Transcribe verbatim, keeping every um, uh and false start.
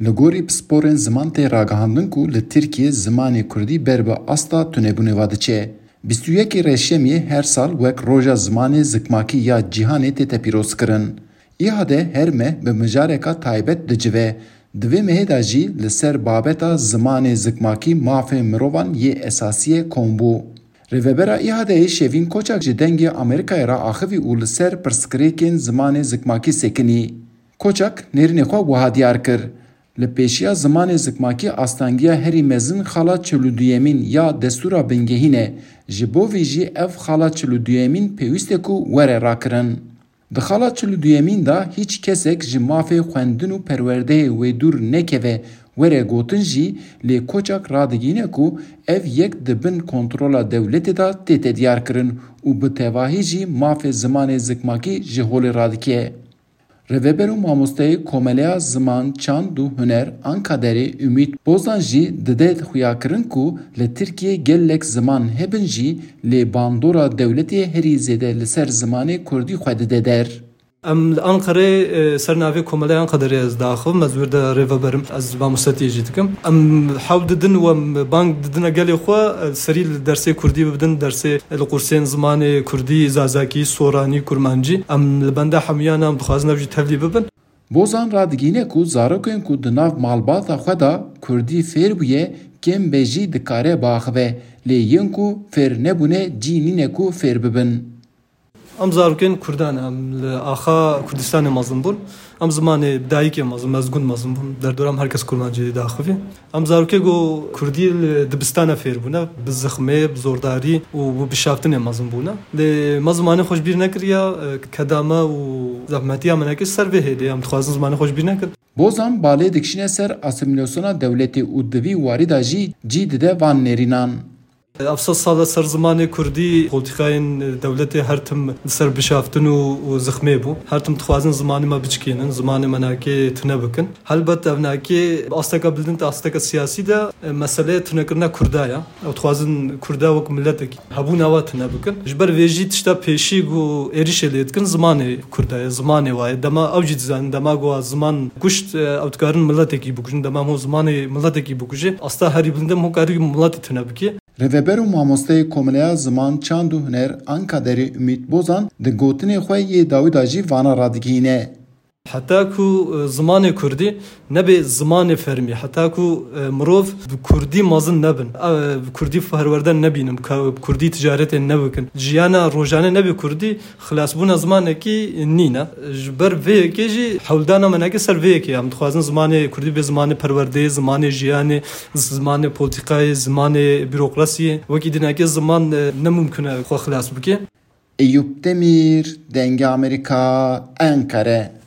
Li gorî pisporên ziman tê ragihandin ku li Tirkiyê zimanê kurdî ber bi asta tunebûnê ve diçe. Bîst û yekê Reşemiyê her sal wek Roja Zimanê Zikmakî ya Cîhanê tête pîrozkirin. Îhade her meh bi mijareka taybet dicive. Di vê mehê de jî li ser babeta zimanê zikmakî mafê mirovan yê esasî ye kom bû. Rêvebera Îhadeyê Şevîn Koçak ji Dengê Amerîkayê re axivî û li ser pirsgirêkên zimanê zikmakî sekinî. Koçak nêrînê xwe wiha diyar kir, Li pêşiya zimanê zikmakî astangiya herî mezin xala çil û duyemîn ya destûra bingehîn e, ji bo vî jî ev xala çil û duyemîn pêwîst e ku were rakirin. Di xala çil û duyemîn de hîç kesek ji mafê xwendin û perwerdeyê wê dûr nekeve were gotin jî, lê Koçak radigihîne ku ev yek di bin kontrola dewletê de tête diyarkirin û bi tevahî jî mafê zimanê zikmakî ji holê radike. Rêveber û mamosteyê Komeleya Ziman, Çand û Huner Ankaderê Ümît Bozan jî dide xuyakirin ku li Tirkiyê gelek ziman hebin jî, lê bandora dewletê herî zêde li ser zimanê kurdî xwe dide der. Em li Anqerê, e, ser navê Komeleya Ankaderê ez diaxivim, ez wir de rêveber im, ez mamostetiyê jî dikim. Em hewl didin û em bang didine gelê xwe, e, serî li dersê kurdî bibidin, dersê li qursên zimanê kurdî, zazakî, soranî, kurmancî. Em li benda hemûyan em dixwazin ev jî tevlî bibin. Bozan radigihîne ku zarokên ku di nav malbata xwe de kurdî fêr bûye, kêm be jî dikare biaxive, lê yên ku fêr nebûne cî nîne ku fêr bibin. Em zarokên Kurdan, em li axa Kurdistanê mezin bûn. Em zimanê dayikê mezin, mezgûn mezin bûn. Derdora em her kes kurmancî diaxivî. Em zarokê ku kurdî li dibistana fêr bûne, bi zixmê, bi zordarî û bi bişaftinê mezin bûne. Lê me zimanê xwe ji bîr nekiriya, e, kedame û zehmetiya me neke ser vê hêlê. Em dixwazin zimanê xwe ji bîr nekin. Bozan balê dikişîne ser asîmîlasyona dewletê û di vî warî de jî cî dide van nêrînan. Ev sed sal e ser zimanê kurdî, polîtîkayên dewletê her tim li ser bişaftin û, û zixmê bû. Her tim dixwazin zimanê me bicikênin, zimanê me nakê tune bikin. Helbet ev nakê bi asteka bilind, asteka siyasî de, e, meseleyê tunekirina kurda ye. Ew dixwazin kurda wek miletekî hebûna wa tune bikin. Ji ber vê jî tişta pêşî ku êrîşê lê dikin zimanê kurda ye, zimanê wa ye. Dema ew jî dizanin, dema ku wa ziman kuşt, e, ew dikarin miletekî bikujin. Dema hûn zimanê miletekî bikujê, asta herî bilind e, hûn karî miletê tune bikê. Rêveber û mamosteyê Komeleya Ziman, Çand û Huner Ankaderê Ümît Bozan di gotinê xwe yê dawî de jî vana radigihîne. Heta ku, e, zimanê kurdî nebe zimanê fermî, heta ku, e, mirov bi kurdî mezin nebin, e, bi kurdî perwerde nebînin, bi ka-, bi kurdî ticaretê nebikin, jiyana rojane nebe kurdî, xilasbûna zimanekî nîne. Ji ber vê yekê jî hewldana me neke ser vê yekê. Em dixwazin zimanê kurdî bê zimanê perwerdeyê, zimanê jiyanê, zimanê polîtîkayê, zimanê bürokrasiyê. Wekî dineke ziman, e, ne mumkin e xwe xilas bike. Eyûp Demîr, Dengê Amerîka, Enqere.